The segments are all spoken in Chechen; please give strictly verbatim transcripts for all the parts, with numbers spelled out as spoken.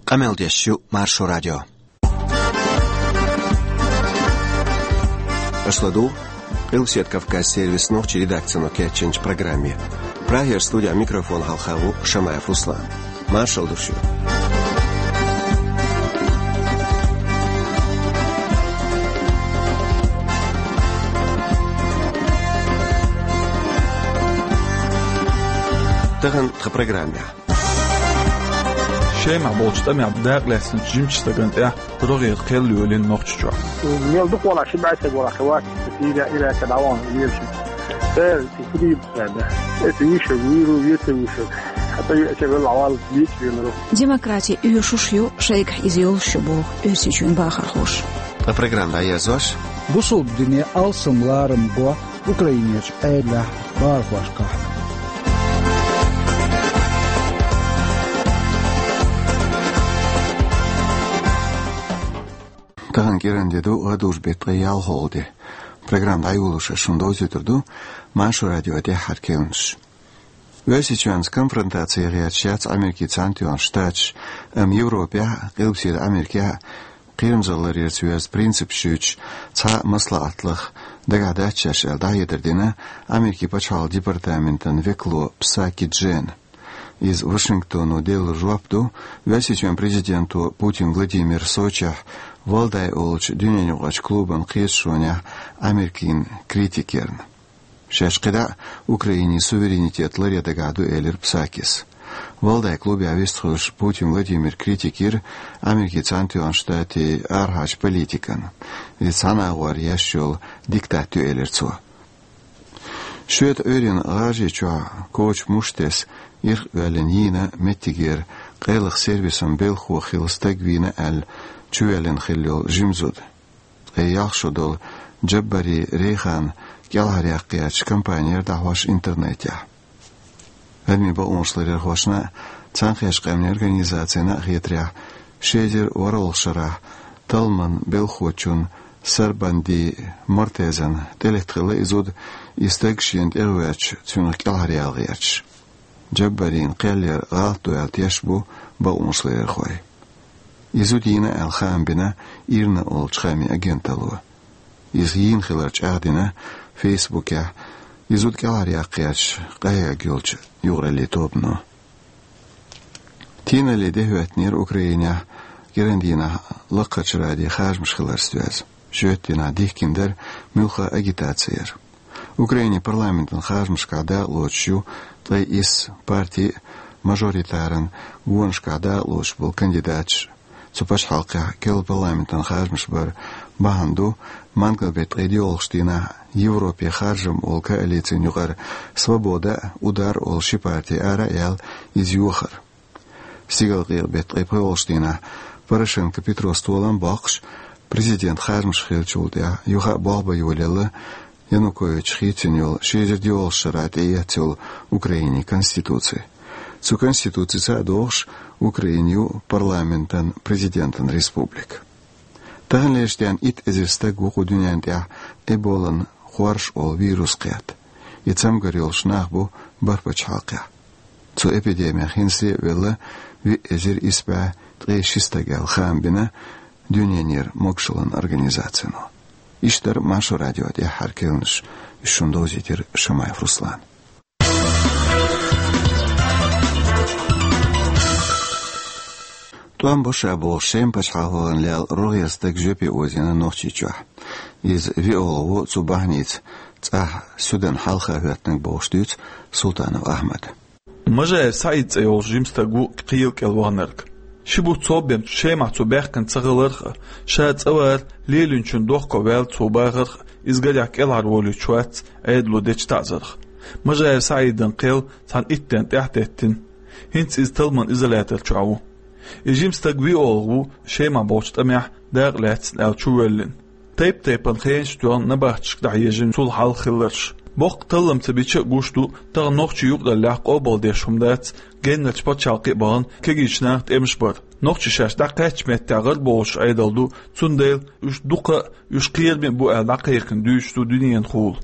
Къамел деш ю Маршо радио. Аша ладугӀу Къилбаседа Кавказан сервисан нохчийн редакцино кечйинчу программе. Прагера студин микрофона хьалха ву Шамаев Руслан. Маршалла ду шуьга. Тахана тхан программехь. Шемахь болчу тӀамехь дакъа лаьцначу жимачу стагана тӀехь рогӀера кхел йолийна Нохчийчохь. Мел дукха валахь, ши бӀе стаг валахь, хи вац, Сирия, Ирак, дӀавахана везаш. Церан кхидӀа баьлла. Эца вуьйш, вуьйр ву, вецар вуьйш. Хьан тӀе веача велла валла, вийца велар. Демократи оьшуш ю, шайгахь иза йолуш ю боху Оьрсийчоьнан бахархоша. Ткъа программа дӀаерзош. Бусалба дине алсам ларам бо Украинерчу Ӏедалехь бахархошкахь. Тахана кӀиран де ду, гӀадужу беттан ткъе ялхалгӀа де. Программа дӀайолош ас шуна довзуьйтур ду Маршо радион тӀаьххьара керланаш. Оьрсийчоьнца конфронтаци гӀерташ яц Америкин Цхьаьнатоьхна Штаташ, амма Европехь а, Къилбаседа Америкехь а кхерамзалларца йоьзна принципаш юьйцуш цхьа а маслаӀат лаха дагахь дац шаьш аьлла дӀахьедар дина Америкин пачхьалкхан департаментан векало Псаки Джена. Иза Вашингтоно делла жоп ду Оьрсийчоьнан президенто Путин Владимира Сочехь Валдай олучу дуьненаюкъарчу клубан кхеташонехь Америкин критикерна. Шаьш кхидӀа а Украинин суверенитет ларъян дагахь ду, элира Псакис. Валдай клубехь вистхуьлуш Путин Владимир критика йира Америкин Цхьаьнатоьхна Штатийн арахьарчу политикана. Иза цхьана агӀор еш йолу диктат ю, элира цо. Шоьтан Ӏуьйранна ГӀажарийчохь коча муш тесна, ирх а оьллина йийна меттигера къайлаха сервисан белхахо хилла стаг вийна аьлла чувоьллина хилла йолу жима зуда. Ткъе ялх шо долу Джаббари Рейхан кӀелхьаръяккха гӀерташ кампани яра дӀахьош интернетехь. Адамийн бакъонаш ларъярхошна а, Цхьаьнакхеттачу Къаьмнийн Организацина а хетарехь, ши эзар ворхӀалгӀачу шарахь талламан белхахочун Сарбанди Мортезан тӀелетта хилла и зуда, и стаг шена тӀе а гӀоьртуш, цуьнах кӀелхьаръяла гӀерташ. Джаббарин кхел яр гӀалат ду аьлла тешаш бу бакъонаш ларъярхой. И зуда йийна аьлла хаам бина Ирна олучу хаамийн агенталло. Иза йийна хилар чӀагӀдина Фейсбукехь и зуда кӀелхьаръяккха гӀерташ къахьега йолчу юкъараллин тобано. Тийналлин де хӀоьттинера Украинехь кӀиран дийнахь Лакхарчу радион харжамаш хиларца доьзна. Шоьтан дийнахь дихкина дара муьлхха а агитаци яр. Украинин парламентан харжамашкахь дакъалоцуш ю ткъе исс парти а, мажоритаран гонашкахь дакъалоцуш болу кандидаташ а. Цу пачхьалкхехь керла парламентан харжамаш бар бахьана ду, мангал беттан ткъе доьалгӀачу дийнахь Европин харжам олу коалицин юкъара «Свобода» а, «Удар» олу ши парти ара а яьлла, иза йохар. Стигалкъекъа беттан ткъе пхоьалгӀачу дийнахь Порошенко Петрос толам а боккхуш, президент харжамаш хиллачул тӀаьхьа юха а болх бан йолаелла Янукович хийцина йолу ши эзар доьалгӀачу шарахь тӀеэцна йолу Украинин конституци. Цу конституцица а догӀуш, Украина ю парламентан, президентан республика. Таханлерчу дийнахь итт эзар стаг ву кху дуьнен тӀехь Эболан хорш олу вирус кхетта. И цамгар йолуш нах бу бархӀ пачхьалкхехь. Цу эпидемих хӀинца а велла виъ эзар исс бӀе ткъе ши стаг аьлла хаам бина Дуьненера могушаллин организацино. Иштта дара Маршо радион тӀаьххьара керланаш, уьш шуна довзийтира Шамаев Руслана. ТӀом бо ша бохуш, Шеман пачхьалкхана лаьлла рогӀера стаг жоьпе озийна Нохчийчохь. Иза виолгӀа ву цу бахьаница цӀахь суьдан хьалха хӀоьттинарг бохуш дуьйцу Султанов Ахьмада. Мажаев СаӀид цӀе йолуш жима стаг ву кхел кӀел ваханарг. Ши бутт совбен Шемахь цо баьхкина ца хиларх а, ша цӀа вар лелийначун дохко ваьлла цо бахарх а, иза гарехь кӀелхьарволуьйтуш вац Ӏедало дечу таӀзарх. Мажаев СаӀидан кхел цхьана итт денна тӀаьхьатеттина. ХӀинца иза талламан изолятор чохь ву. И жима стаг виолгӀа ву Шемахь болчу тӀамехь дакъа лаьцна аьлла чувоьллина. Тайп-тайпана хенаш тоьхна набахташка дӀахьежна цул хьалха хилларш. Боккха таллам ца бича а гуш ду тахана нохчийн юкъараллехь къобалдеш хӀума дац геннарчу пачхьалкхе а бахана кегийчу наха тӀемаш бар. Нохчий шаьш дӀакхаьчча меттехь гӀарабовлуш Ӏедал ду, цундела уьш дукха а, уьш кхераме а бу аьлла дӀакхайкхина дуьйцуш ду дуьненахула.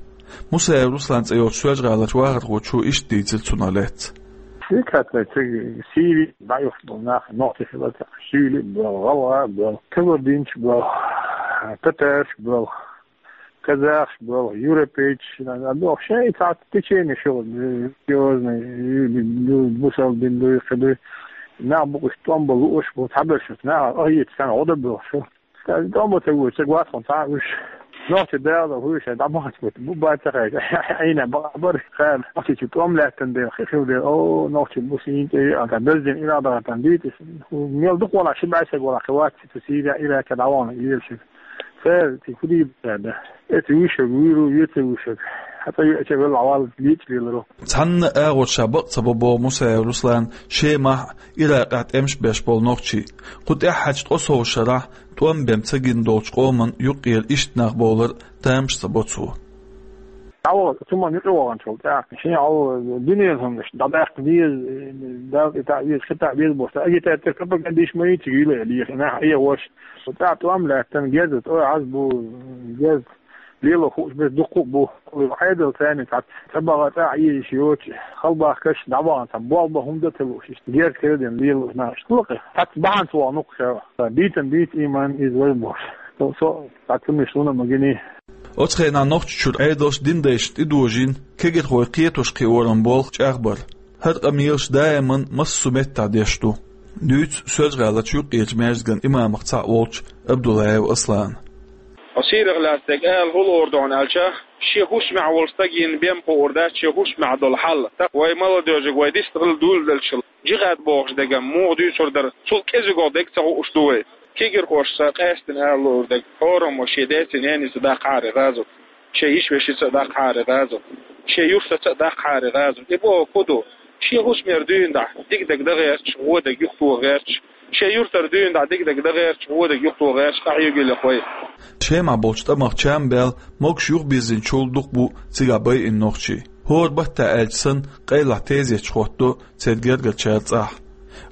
Мусаев Руслан цӀе йолчу Соьлжа-ГӀаларчу вахархочо иштта дийцира цунах лаьцна. Дика хӀаьта цига Сири дӀаюхту нах, нохчий хилар, шуьйли а боьлху, гӀалгӀа а боьлху, кабардинцаш а боьлху, татараш а боьлху, казахаш а боьлху, европейцаш а боьлху. Шайн цхьа течени шу, религиозный, бусалба дин дуй, кхы дуй. Нах бу уьш тӀом бан лууш бу, цхьаберш нах ахьийца цхьаьна гӀо дан боьлху шу. Ша тӀом бан ца вуьйцу, ца гӀоттахь цхьа а уьш. Нохчий дала хӀуьйша дӀабаханча бутт бу бац ца хьайча. Ӏийна бакъахьа бара, ха, нохчий чу тӀом лаьттан дела, хи хила дела, о, нохчий бу сийна тӀе, а, та бездин ирада гӀатан дийта, мел дукха вала, ши бӀаьсаг вала, кхы вац цу Сирия, Ираке дӀавахана лелаш. Цара цига хӀу дийр бац да. Эца вуьйшаг вуьйр ву, веца вуьйшаг. Хьан цӀа веача велла вала лийча леларо. Цхьанна агӀор ша бакъ ца бо боху Мусаев Руслан, Шемахь а, Иракъехь а тӀемаш беш болу нохчий. Кху тӀаьххьарчу ткъо сов шарахь тӀом бен ца гина долчу къоман юккъера иштта нах бовлар тамаш ца бо цо. ДӀаваха, цу ма юкъа ваханчул тӀаьхьа, шен хьал дуьненан хӀуманаш дӀадаккха деза, Далла тӀе таӀ веза, кхин таӀ веза бохуш, агитатор, пропагандист ма йийциг йила лехи, нах Ӏехош. ТӀаьхьа тӀом лаьттан геза, тӀой Ӏаз бу, геза. Лело хууш бес дуккха а бу. Ӏедал царна цхьацца ца баха тӀаьхьа езаш йоцу, халбахкаш дӀабахана цхьа болх бан хӀума дан ца лууш, иштта герга хила дина лело нах иштта лакхе. Цхьацца бахьана ца вахана хӀокху ша. Бийцан бийца ийман иза вай бохуш. Со, со цхьацца миш луна ма гиний. Оцу хенахь Нохчийчуьра Ӏедалш дин дайшна тӀедожийна, кегирхой кхетош кхиоран болх чӀагӀбар. ХӀара къамелаш даиман массо а меттехь деш ду. Дуьйцу Соьлжа-ГӀаларчу юккъерчу маьждиган имамех цхьаъ волчу Абдуллаев Аслана. Хьо сийрах лаьцнарг ала хӀун луур ду хьуна аьлча, шен хӀусамехь волу стаг йина бен кхуур дац шен хӀусамехь долу хьал. ТӀаккха вай молодёжиг вай дистхила дуьйладелчул, джихад бохуш дерг муха дуьйцур дара, цул кӀезиго дерг ца хууш ду вай. Кегирхошца къаьстина ала луур дерг, хӀораммо шен деца-ненаца даккхахьара гӀазот. Шен йиша-вешица а даккхахьара гӀазот. Шен юьртаца а даккхахьара гӀазот. И бохург хӀун ду? Шен хӀусамера дуьйна дӀа дика дерг дан гӀерташ, вон дерг юхатоха гӀерташ. Шен юьртара дуьйна дӀа дика дерг дан гӀерташ, вон дерг юхатоха гӀерташ, къахьоьгуьйлехь вай. Шемахь болчу тӀамах чам баьлла, могуш юхабирзинчул дукха бу цигахь байина нохчий. ХӀора баттахь аьлча санна, къайлахь тезеташ хӀоттадо церан гергарчара цӀахь.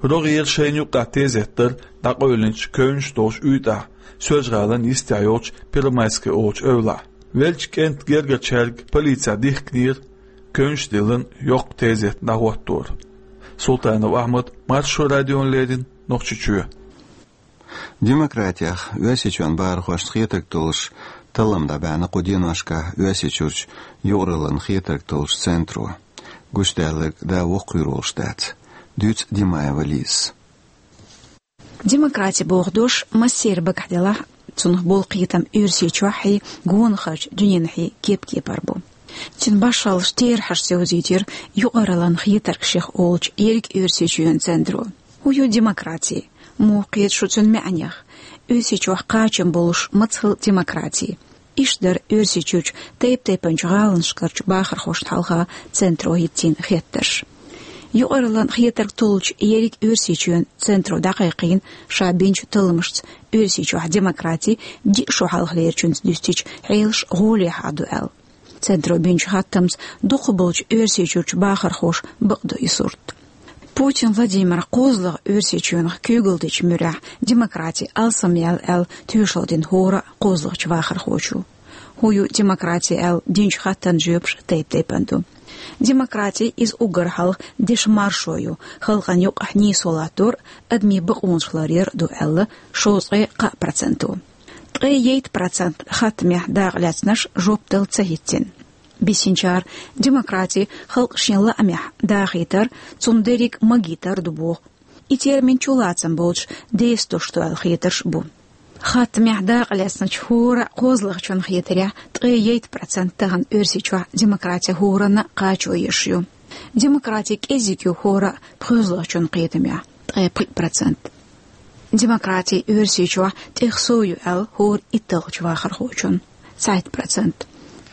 РогӀера шайна юккъехь тезет дар дӀакъевлинчу кевнаш долуш уьйтӀахь, Соьлжа-ГӀалин йистехь йолчу Первомайская олучу эвлахь. Веллачу кӀентан гергарчаьрга полицехь дихкинера кевнаш диллина йоккха тезет дӀахӀоттор. Султанов Ахьмад, Маршо радиона леррина, Нохчийчоь. Демократех Оьрсийчоьнан бахархошна хетарг толлуш таллам дӀабаьхьна кху деношкахь Оьрсийчуьрчу юкъараллин хетарг толлучу центро. Гучудаьлларг да воккхавийр волуш дац. Дуьйцу Димаева Лизас. Демократи боху дош массеран багахь делахь а, цунах болу кхетам Оьрсийчохь а, гонахарчу дуьненахь а кеп-кепара бу. Цуьнан башхаллаш терахьашца йовзийтира юкъараллин хетарг шех олучу ерриг Оьрсийчоьнан центро. ХӀун ю демократи? Муха кхета шу цуьнан маьӀнех? Оьрсийчохь кхачам болуш маца хила демократи? Иштта дара Оьрсийчуьрчу тайп-тайпанчу гӀаланашкарчу бахархошна хьалха центро хӀиттийна хеттарш. Юкъараллин хетарг толлучу ерриг Оьрсийчоьнан центро дӀакхайкхийна ша бинчу талламашца Оьрсийчохь демократи диъ шо хьалхалерчуьнца дуьстича хьелаш гӀолехьа ду аьлла. Центро бинчу хаттамца дукхахболчу Оьрсийчуьрчу бахархоша бакъду и сурт. Путин Владимира кхозлагӀа Оьрсийчоьнах куьйгалла дечу муьрехь демократи алсамъяьлла аьлла тоьшалла дина хӀора а кхозлагӀчу вахархочо. ХӀун ю демократи аьлла динчу хаттарна жоьпаш тайп-тайпана ду. Демократи иза уггар хьалха дешан маршо ю, халкъана юкъахь нийсо латтор а, адамийн бакъонаш ларъяр а ду аьлла, шовзткъе кхаа проценто. Ткъе йтта процент хаттамехь дакъалаьцнарш жоп дала ца хӀиттина. Бисинчара демократи халкъ шен лаамехь дахийтар, цунна дерриг а магийтар ду боху. И термин чулацам боцуш дестуш ду аьлла хетарш а бу. Хаттамехь дакъалаьцначу хӀора а кхозлагӀчун хетарехь, ткъе йтта процент тахана Оьрсийчохь демократи хӀоранна а кхачо еш ю. Демократи кӀезиг ю хӀора а пхоьзлагӀчун кхетамехь, ткъе пхиъ процент. Демократи Оьрсийчохь тӀех сов ю аьлла хӀора итталгӀачу вахархочун, цхьайтта процент.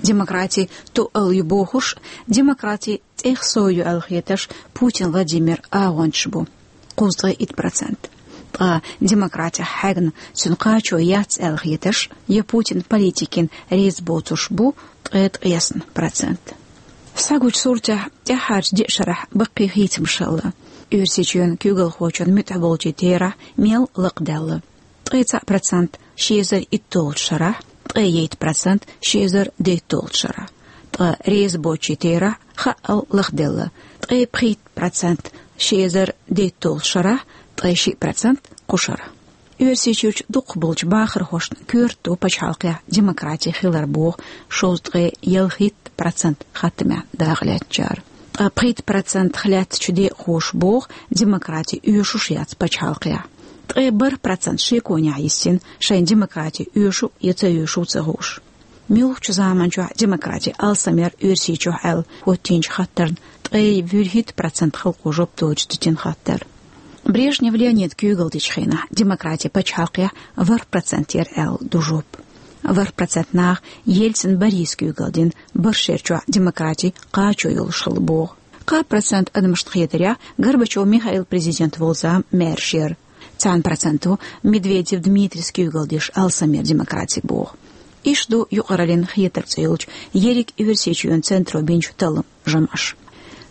Демократи тоъал ю бохурш, демократи тӀех сов ю аьлла хетарш Путин Владимиран агӀончаш бу, кхузткъе итт процент. Ткъа демократех хьегна, цуьнан кхачо яц аьлла хетарш я Путин политикина реза боцурш бу, ткъе ткъесна процент. Схьагучу суртехь тӀаьххьарчу диъ шарахь баккхий хийцамаш хилла. Оьрсийчоьнан куьйгалхочун муьтӀахь болчийн терахь мел лакхадаьлла. Ткъе цхьаъ процент ши эзар итталгӀачу шарахь, ткъе итт процент ши эзар дейтталгӀачу шарахь. Ткъа реза боцчийн терахь хаъал лахделла. Ткъе пхийтта процент Ши эзар дейтталгӀачу шарахь ткъе шиъ процент кху шарахь. Оьрсийчуьрчу дукхахболчу бахархошна коьрта ду пачхьалкхехь демократи хилар боху шовзткъе ялхитта процент хаттамехь дакъалаьцначара. Ткъа пхийтта процентах лаьттачу декъахоша боху демократи оьшуш яц пачхьалкхехь. Ткъе бархӀ процент шеконехь йисина шайн демократи оьшу я ца оьшу ца хууш. Муьлххачу заманчохь демократи алсамъяр Оьрсийчохь аьлла хӀоттийначу хаттарна ткъе вуьрхӀитта процент халкъо жоп доцуш дитина хаттар. Брежнев Леонида куьйгалла дечу хенахь демократи пачхьалкхехь ворхӀ процент яра аьлла ду жоп. ВорхӀ процент наха Ельцин Бориса куьйгалла дина бархӀ шерачохь демократи кхачо йолуш хилла боху. Кхаа процент адамашна хетарехь Горбачев Михаил президент волу зама маьрша яра. Цхьана проценто Медведев Дмитрийс куьйгалла деш алсамъяр демократи боху. Иштта ду юкъараллин хетар цӀе йолчу ерриг Оьрсийчоьнан центро бинчу талламан жамӀаш.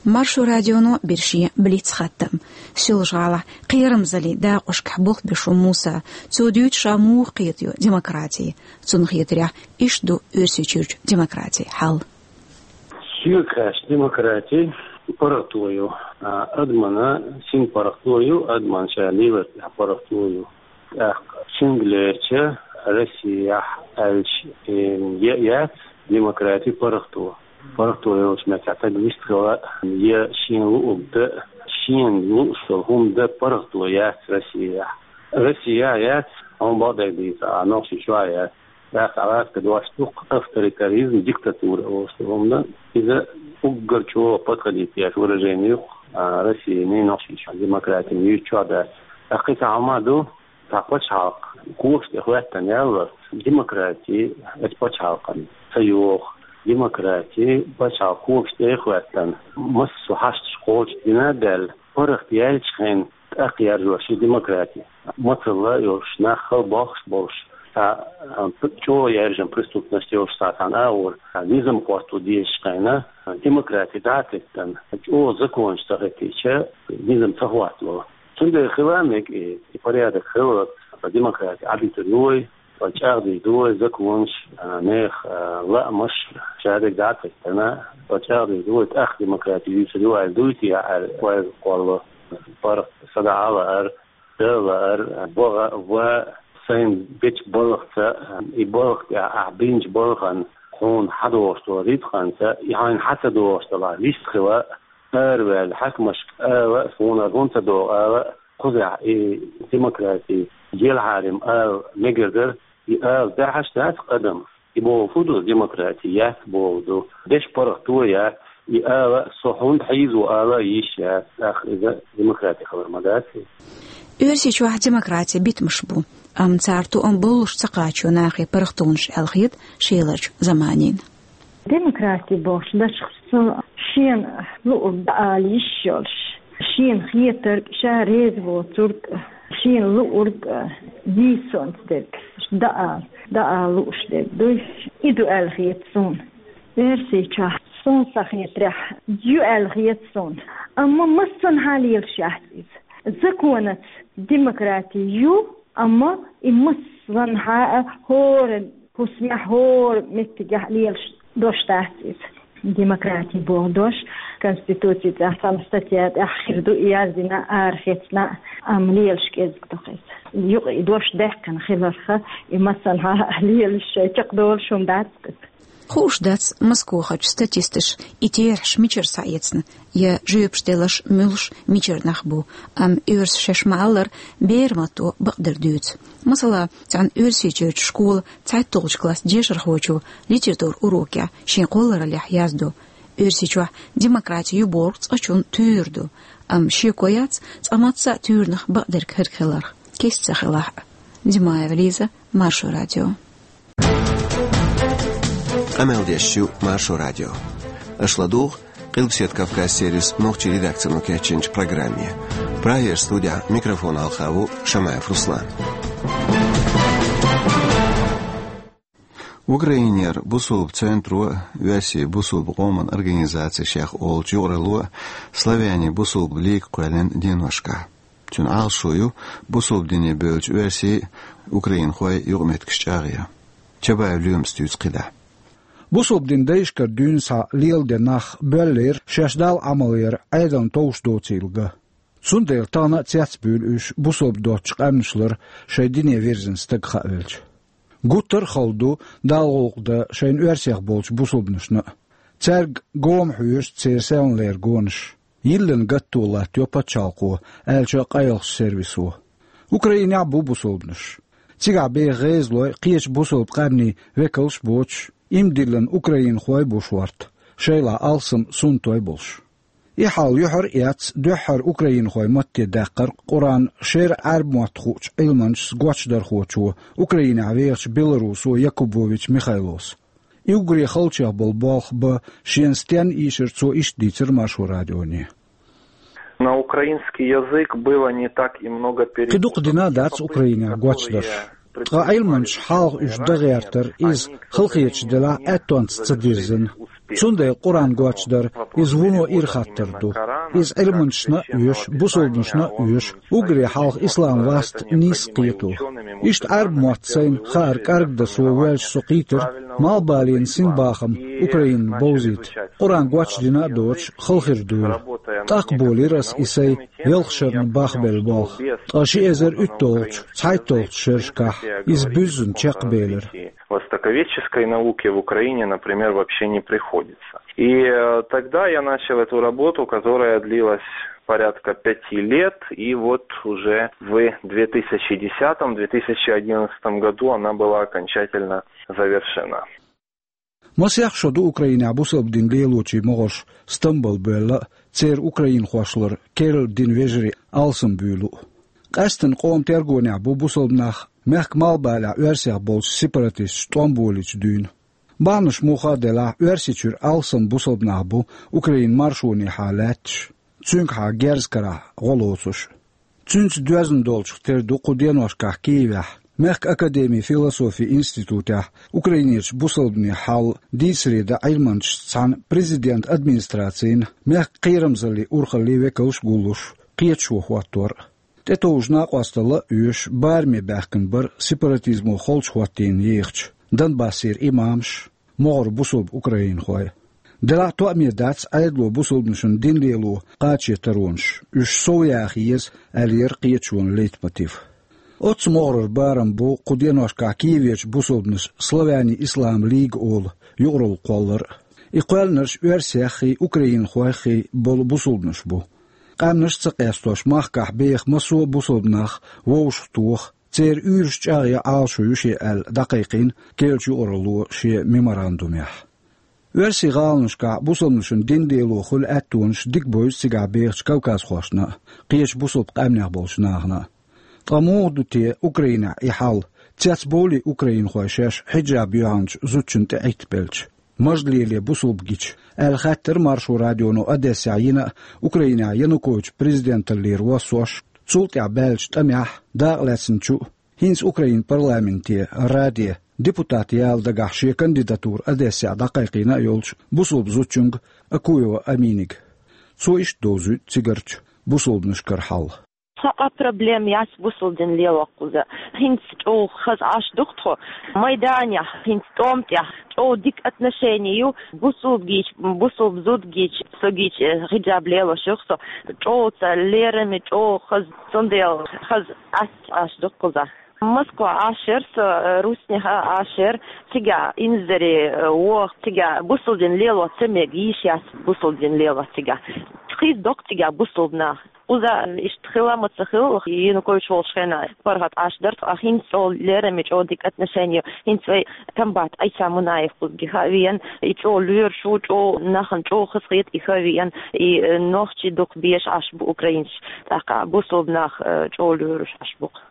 Маршо радионо бира шен блиц-хаттам. Соьлжа-ГӀалахь кхерамзаллин дакъошкахь болх беш ву Муса. Цо дуьйцу ша муха кхетайо демократи. Цунна хетарехь иштта ду Оьрсийчуьрчу демократи хьал. Соьга хаьттича демократи паргӀато ю. А, адамна син паргӀато ю, адамна ша леларна тӀехь паргӀато ю. ТӀаккха цуьнга лерча Россияхь аьлча, э, я яц демократи паргӀато. ПаргӀато йолчу меттехь стаг вистхила я шена луург дан, шена лууш долу хӀума дан паргӀато яц Россияхь. Россияхь яц, хьуна бакъдерг дийца, а Нохчийчохь яц. ТӀаккха гӀазкхийн дош ду-кх авторитаризм, диктатура олуш ду хӀума. Иза уггар чӀогӀа подходить деш выражение ю-кх, а, Россияний, Нохчийчохь демократина юьйцучохь дац. ТӀаккха кхин цхьа хӀума ду, цхьа пачхьалкх когаш тӀе хӀоьттина яллалц, демократи оцу пачхьалкхана ца йогӀу. Демократи пачхьалкх когаш тӀе хӀоьттина, массо а хьашташ кхочушдина а даьлла, паргӀат яьллачу хенахь тӀаккха яржош ю демократи. Мацалла йолуш, нах хала бохкуш болуш, цхьа, а, чӀогӀа яьржина преступность йолуш цхьа цхьана агӀор, а, низам хӀотто дезачу хенахь, а, демократи дӀа а теттина, чӀогӀа законаш ца хӀоьттича, низам ца хӀоттало. Цундела хила мега и, и порядок хиларца, демократи Ӏадитар ю вай, вай чӀагӀдийр ду вай законаш, а, нехан, а, лаамаш, шадерг дӀа а теттина, вай чӀагӀдийр ду вай, тӀаккха демократи юьйцур ю аьлла дуй те аьлла, вай кхолло. ПаргӀат садаӀа а лаар, Дала лаар, ваха, ва сайн бечу балхаца, и балха тӀехь ахь бинчу балхана хьуна хьадогӀуш долу рицкъанца, и хьайна хьа ца догӀуш делахь, вистхила, араваьлла хьаькамашка ала а, суна хӀунда ца догӀу ала а, кхузахь и демократи елахьарий ала мегар дара, и ала даьхьаш дац адам. И бохург ду, демократи яц бохург ду. Деш паргӀато яц, и ала а, со хӀунда хьийза ву ала а йиш яц, тӀаккха иза демократи хилар ма дац. Оьрсийчохь демократи битамаш бу, амма цара тоам боллуш ца кхачо нахе паргӀатонаш аьлла хета шеларчу заманийн. Демократи бохуш дашах со шена луург дӀаала йиш йолуш, шена хетарг, ша реза воцург, шена луург, дийцонца дерг дӀаала, дӀаала лууш дерг дуй. И ду аьлла хета суна. Оьрсийчохь суна сан хетарехь ю аьлла хета суна. Амма массанхьа лелаш яц иза. Законаца демократи ю, амма и массанхьа а хӀора хӀусамехь, хӀора меттигехь лелаш дош дац иза. Демократи боху дош Конституци тӀехь цхьана статья тӀехь хир ду, и яздина, арахецна, амма лелаш кӀезиг ду-кх иза. Юкъа и дош даьккхина хиларх, и массанхьа а лелаш шайн чекхдолуш хӀума дац-кх иза. Хууш дац Москохарчу статисташа и терахьаш мичара схьаэцна, я жоьпаш делларш муьлш мичара нах бу, амма оьрсаша шаьш ма-аллара, беран матто бакъдерг дуьйцу. Масала, цхьана Оьрсийчуьрчу школан цхьайтталгӀачу классан дешархочо литературан урокехь шен кхоллараллехь яздо: Оьрсийчохь демократи ю бохург цкъачунна туьйра ду, амма шеко яц цкъа мацца а туьйранах бакъдерг хӀирг хиларх, кеста ца хилахь а. Димаева Лиза, Маршо радио. Къамел деш ю Маршо радио. Аша ладугӀу Къилбаседа Кавказ сервисан нохчийн редакцино кечйинчу программе. Прагера студехь микрофона хьалха ву Шамаев Руслан. Украинера бусулба центро а, Оьрсийн бусулба къоман организаци шех олучу юкъаралло а Словенин бусулба лига кхоьллина деношкахь. Цуьнан Ӏалашо ю бусулба дине бевллачу оьрсийн а, украинхойн а юкъаметтигаш чӀагӀъян. Чабаев Лоьмас дуьйцу кхидӀа. Бусулба динан дайшкара дуьйна схьа леладен нах боьллера шаьш Далла Ӏамал яр Ӏедална товш доцийла ган. Цундела тахана а цецбуьйлу уьш бусалба доцчу къаьмнаш лар шайн дине вирзина стаг хаа велча. Гуттар а хала ду Далла гӀуллакх дан шайна оьрсех болчу бусалбанашна а. Цаьрга гома хьоьжуш церан селханлера гонаш. Йиллина гатто латтайо пачхьалкхо, аьлча а къайлахчу сервисо. Украинехь а бу бусалбанаш. Цигахь беха гӀезалой, кхечу бусалба къаьмнийн векалш а боцуш, иман диллина украинхой а бу шорта, шайлахь алсам суннатой а болуш. И хьал юьхьар а эцна, дуьххьара украинхойн матте даьккхира Къуръан шера Ӏаьрбийн мотт хуучу Ӏилманчас гочдархочо, Украинехь вехачу белорусо Якубович Михайлос. И уггаре халчех болу болх бан шена стенна ийшира цо иштта дийцира Маршо радионе. На украинский язык было не так и много переводов. Кхин дукха дина а дац Украинехь гочдарш. Ткъа Ӏилманчаш хьалха уьш дан гӀертар, иза, халахеташ делахь, аьттонца ца дирзина. Цундела Къуръан гочдар, иза вуно ира хаттар ду. Иза Ӏилманчашна а оьшу, бусалбанашна а оьшу, уггаре хьалха ислам васт нийса кхето. Иштта Ӏаьрбийн мотт сайна хаар кӀаргдан со воьлча со кхийтира, малхбален синбахам Украинна бовзийта. Къуръан гочдина а доцуш, хала хир дуйла. ТӀаккха болийра ас и сайн ялх шарна бахбелла болх. Ткъа ши эзар уьтталгӀачу, цхьайтталгӀачу шерашкахь иза буьззина чекхбелира. Востоковедческой науки в Украине, например, вообще не приходится. И э, тогда я начал эту работу, которая длилась порядка пяти лет, и вот уже в две тысячи десятом, две тысячи одиннадцатом году она была окончательно завершена. Масех шо ду Украинехь бусалба дин лелочийн могӀарш Стамбул бевлла а, церан украинхошлара керла динан вежарий алсамбуьйлу а. Къаьсттина къоман тергонехь бу бусалба нах, мехкан малхбалехь оьрсех болчу сепаратисташа тӀом болийча дуьйна. Бахьанаш муха а делахь, Оьрсийчуьра алсам бусалба нах бу Украинан маршонехьа лаьтташ, цуьнгахьа герз карахь гӀо лоцуш. Цуьнца доьзна долчух тера ду кху деношкахь Киевехь, мехкан академин философин институтехь Украинерчу бусалбанийн хьал дийцаре дан Ӏилманчашца цхьаьна президентан администрацин, мехкан кхерамзаллин урхаллин векалш а гуллуш, кхеташо хӀоттор а. ТӀетовжа накъосталла а оьшуш, бараме баьхкина бара сепаратизмо холчу хӀоттийна ехачу Донбассера имамаш, могӀара бусалба украинхой. Делахь а тоъаме дац Ӏедало бусалбанашна дин лело кхаче таронаш, уьш сов яха еза, аьллера кхеташонан лейтмотив. Оццу могӀарара барам бу кху деношкахь Киеверчу бусалбанаш Славяне Ислама Лига олу юкъаралла кхоллар а. И кхоьллинарш оьрсеххий, украинхойххий болу бусалбанаш бу. Къаьмнаш а ца къестош, махкахь беха массо а бусалба нах вовшахтоха, церан уьйраш чӀагӀъян Ӏалашо ю шен аьлла дӀакхайкхийна керлачу юкъаралло шен меморандумехь. Оьрсийн гӀаланашкахь бусалбанашна дин лело хуьлу аьттонаш дика бевза цигахь бехачу кавказхошна а, кхечу бусалба къаьмнех болчу нахана а. Ткъа муха ду те Украинехь и хьал, цецбовлий украинхой шаьш хьиджаб йоьхначу зудчунна тӀе Ӏиттабелча? Мажа леле бусалба гича, аьлла хаьттира Маршо радионо Одессехь йина а, Украинехь Янукович президенталлера воссош, цул тӀаьхьа баьллачу тӀамехь, дакъалаьцначу а, хӀинца Украинан парламенте, Раде, депутат яла дагахь шен кандидатура Одессехь дӀакхайкхийна а йолчу бусалба зудчуьнга Акуева Аминига. Цо иштта довзуьйту цигарчу бусалбанашкара хьал. Цхьа а проблема яц бусалба дин лело кхуза. ХӀинца чӀогӀа хаза Ӏаш ду-кх тхо. Майданехь, хӀинца тӀом тӀехь чӀогӀа дика отношение ю бусалба гича, бусалба зуда гича, со гича, э, хьиджаб лелош ю-кх со. ЧӀогӀа ца лераме, чӀогӀа хаза, цундела хаза Ӏаш ду-кх кхуза. Москва Ӏаш яра со, э, Руснехь а Ӏаш яра, цигахь инзаре, э, воху, цигахь бусалба дин лело ца мега йиш яц бусалба дин лело цигахь. Хиз доккху цигахь бусалба нах. Кхуза иштта хила а ма ца хила, Янукович волчу хенахь паргӀат Ӏаш дара, ткъа хӀинца чӀогӀа лераме, чӀогӀа дика отношение, хӀинца вай комбат Ӏийса Мунаев кхуза гиха а веана, и чӀогӀа лоьруш ву, чӀогӀа нахана чӀогӀа хазахета и хӀавеана, и, э, нохчий дукха беш Ӏаш бу украинцаш, тӀаккха бусалба нах, э, чӀогӀа лоьруш Ӏаш бу-кх.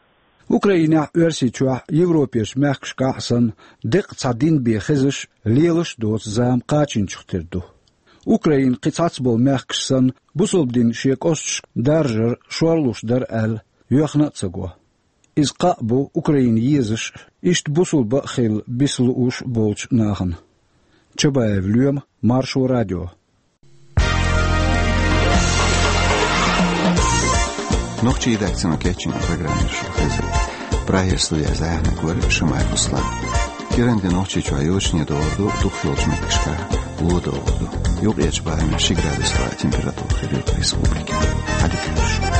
Украинехь, Оьрсийчохь, Европерчу мехкашкахь а санна, деккъа цхьа дин бен хезаш, лелаш а доцу зама кхачийначух тера ду. Украина кхин цхьацца болу мехкаш санна, бусалба дин шен кӀошташка даржар шорлуш дара аьлла, йоьхна а ца го. Иза кхаъ бу Украина езаш а, иштта бусалба а хилла биса лууш а болчу нахана. Чабаев Лоьма, Маршо радио. Нохчийн редакцино кечйина программа шу хезира. Прагера студехь зӀе хьехнарг вара Шамаев Руслан. КӀиранде Нохчийчохь йочане догӀур ду, дукхахйолчу меттигашкахь ло догӀур ду. Юккъерчу барамехь ши градус тӀехь температура хир ю республикехь. Ӏадика хуьлда шун.